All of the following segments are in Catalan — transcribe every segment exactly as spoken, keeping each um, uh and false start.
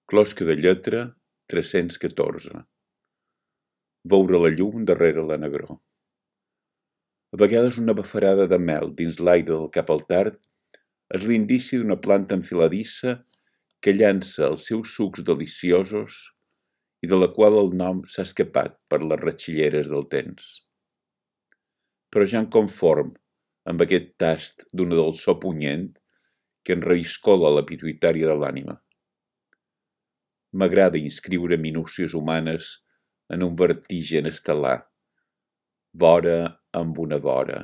Closca de lletra tres-cents catorze. Veure la llum darrere la negror. A vegades una bafarada de mel dins l'aire del cap al tard és l'indici d'una planta enfiladissa que llança els seus sucs deliciosos i de la qual el nom s'ha escapat per les ratxilleres del temps. Però ja em conform amb aquest tast d'una dolçor punyent que enraïscola la pituïtària de l'ànima. M'agrada inscriure minúcies humanes en un vertigen estel·lar, vora amb una vora.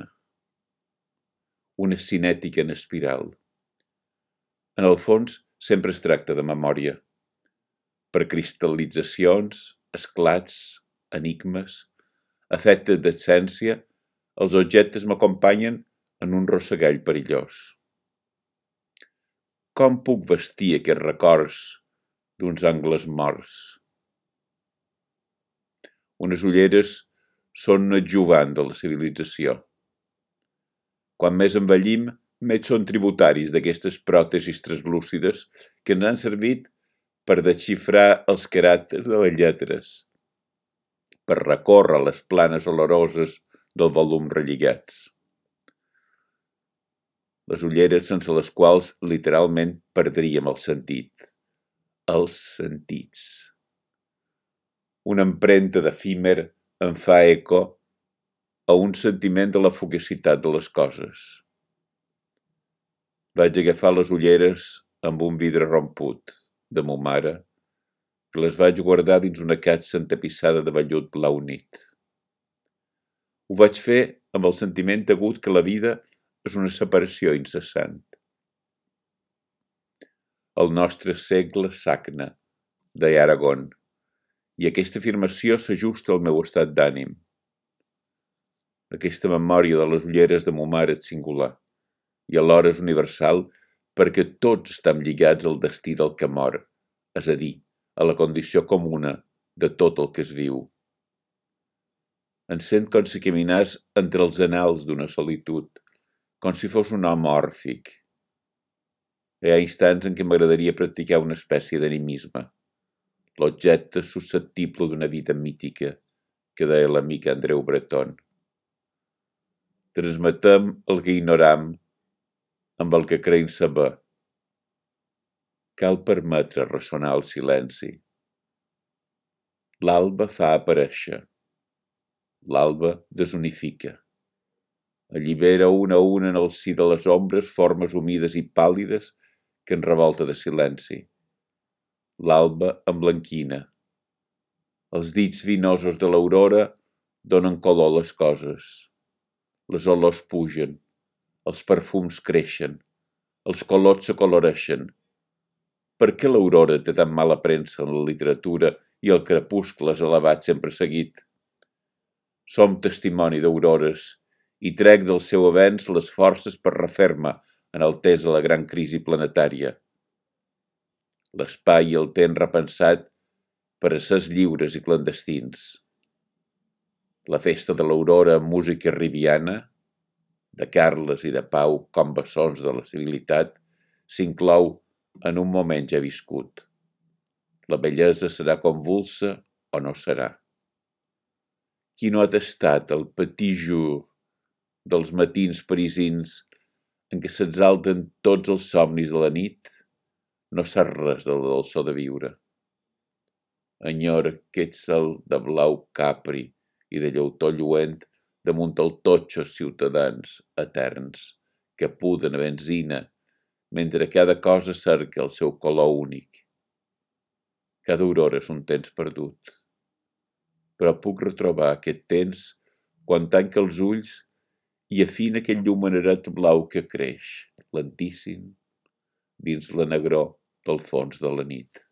Una cinètica en espiral. En el fons, sempre es tracta de memòria. Per cristal·litzacions, esclats, enigmes, efectes d'essència, els objectes m'acompanyen en un rossegall perillós. Com puc vestir aquests records d'uns angles morts? Unes ulleres són un adjuvant de la civilització. Quan més envellim, més són tributaris d'aquestes pròtesis translúcides que ens han servit per desxifrar els caràcters de les lletres, per recórrer les planes oloroses del volum relligats. Les ulleres sense les quals literalment perdríem el sentit. Els sentits. Una empremta d'efímer em fa eco a un sentiment de la fugacitat de les coses. Vaig agafar les ulleres amb un vidre romput de mo mare, que les vaig guardar dins una caixa entapissada de vellut blau nit. Ho vaig fer amb el sentiment agut que la vida és una separació incessant. El nostre segle sagna, deia Aragón, i aquesta afirmació s'ajusta al meu estat d'ànim. Aquesta memòria de les ulleres de mo mare és singular i alhora és universal perquè tots estem lligats al destí del que mor, és a dir, a la condició comuna de tot el que es viu. Em sent com si caminàs entre els anals d'una solitud, com si fos un home òrfic. Hi ha instants en què m'agradaria practicar una espècie d'animisme, l'objecte susceptible d'una vida mítica, que deia l'amic Andreu Breton. Transmetem el que ignoram amb el que creiem saber. Cal permetre ressonar el silenci. L'alba fa aparèixer. L'alba desunifica. Allibera una a una en el si de les ombres formes humides i pàl·lides que en revolta de silenci. L'alba emblanquina. Els dits vinosos de l'aurora donen color a les coses. Les olors pugen, els perfums creixen, els colors s'acoloreixen. Per què l'aurora té tan mala premsa en la literatura i el crepuscle és elevat sempre seguit? Som testimoni d'aurores i trec del seu avenç les forces per refer-me en el temps de la gran crisi planetària. L'espai i el temps repensat per a sers lliures i clandestins. La festa de l'aurora amb música ribiana, de Carles i de Pau com bessons de la civilitat, s'inclou en un moment ja viscut. La bellesa serà convulsa o no serà. Qui no ha tastat el petit jour dels matins parisins en què s'exalten tots els somnis de la nit, no sap res de la dolçor de viure. Enyora aquest cel de blau capri i de llautó lluent damunt el totxos ciutadans eterns que puden a benzina mentre cada cosa cerca el seu color únic. Cada aurora és un temps perdut. Però puc retrobar aquest temps quan tanca els ulls i afina aquell llumeneret blau que creix, lentíssim, dins la negror del fons de la nit.